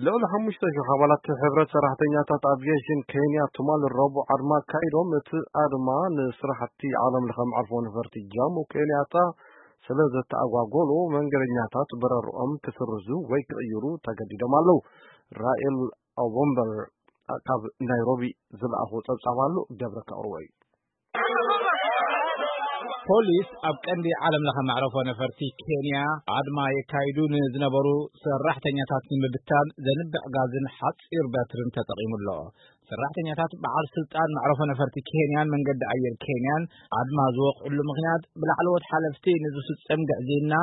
ልዕሊ ሓሙሽተ ሽሕ ኣባላት ሕብረት ሰራሕተኛታት ኣቪዬሽን ኬንያ ትማል ረቡዕ ኣድማ ኣካይዶም። እቲ ኣድማ ንስራሕቲ ዓለም ለኸ መዕርፎ ነፈርቲ ጃሞ ኬንያታ ስለ ዘተኣጓጎሎ መንገደኛታት በረርኦም ክስርዙ ወይ ክቕይሩ ተገዲዶም ኣለዉ። ራኤል ኣቦምበር ካብ ናይሮቢ ዝለኣኾ ጸብጻብ ኣሎ። ገብረ ከቕርቦ እዩ። ፖሊስ ኣብ ቀንዲ ዓለም ለኸ መዕረፎ ነፈርቲ ኬንያ ኣድማ የካይዱ ንዝነበሩ ሰራሕተኛታት ንምብታን ዘንብዕ ጋዝን ሓፂር በትርን ተጠቒሙ ኣሎ። ሰራሕተኛታት በዓል ስልጣን መዕረፎ ነፈርቲ ኬንያን መንገዲ ኣየር ኬንያን ኣድማ ዝወቕዕሉ ምኽንያት ብላዕለዎት ሓለፍቲ ንዝፍጸም ግዕዝይና፣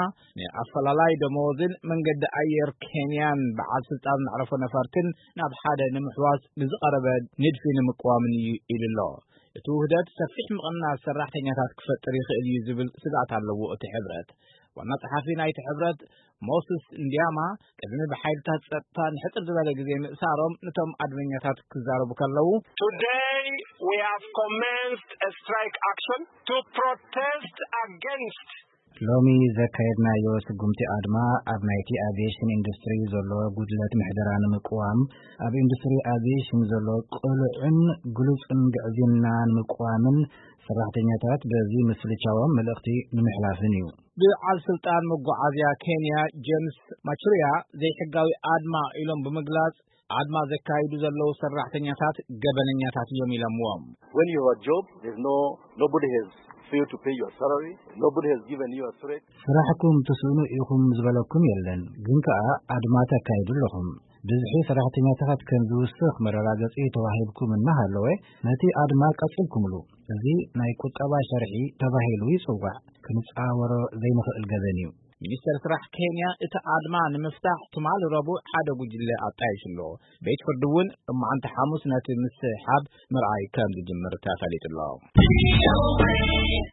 ንኣፈላላይ ደመወዝን መንገዲ ኣየር ኬንያን በዓል ስልጣን መዕረፎ ነፈርትን ናብ ሓደ ንምሕዋስ ንዝቐረበ ንድፊ ንምቅዋምን እዩ ኢሉ ኣሎ። እቲ ውህደት ሰፊሕ ምቕናስ ሰራሕተኛታት ክፈጥር ይኽእል እዩ ዝብል ስግኣት ኣለዎ እቲ ሕብረት። ዋና ጸሓፊ ናይቲ ሕብረት ሞስስ እንዲያማ ቅድሚ ብሓይልታት ጸጥታ ንሕጽር ዝበለ ግዜ ምእሳሮም ነቶም ኣድመኛታት ክዛረቡ ከለዉ Today we have commenced a strike action to protest against ሎሚ ዘካየድናዮ ስጉምቲ ኣድማ ኣብ ናይቲ ኣቪዬሽን ኢንዱስትሪ ዘሎ ጉድለት ምሕደራ ንምቅዋም፣ ኣብ ኢንዱስትሪ ኣቪዬሽን ዘሎ ቅሉዕን ግሉጽን ግዕዝይና ንምቅዋምን ሰራሕተኛታት በዚ ምስልቻዎም መልእኽቲ ንምሕላፍን እዩ። ብዓል ስልጣን መጓዓዝያ ኬንያ ጄምስ ማቹሪያ ዘይሕጋዊ ኣድማ ኢሎም ብምግላጽ ኣድማ ዘካይዱ ዘለዉ ሰራሕተኛታት ገበነኛታት እዮም ኢሎምዎም። When you have a job, there's no nobody has failed to pay your salary, nobody has given you a threat. ስራሕኩም ትስእኑ ኢኹም ዝበለኩም የለን፣ ግን ከኣ ኣድማ ተካይዱ ኣለኹም። ብዝሒ ሰራሕተኛታት ከም ዝውስኽ መረጋገጺ ተዋሂብኩም እናሃለወ ነቲ ኣድማ ቀጺልኩምሉ። እዚ ናይ ቁጠባ ሸርሒ ተባሂሉ ይጽዋዕ። ክንጻወሮ ዘይንኽእል ገበን እዩ። ሚኒስተር ስራሕ ኬንያ እቲ ኣድማ ንምፍታሕ ትማሊ ረቡዕ ሓደ ጉጅለ ኣጣይሹ ኣሎ። ቤት ፍርዲ እውን እማዓንቲ ሓሙስ ነቲ ምስሕሓብ ምርኣይ ከም ዝጅምር ተፈሊጡ ኣሎ።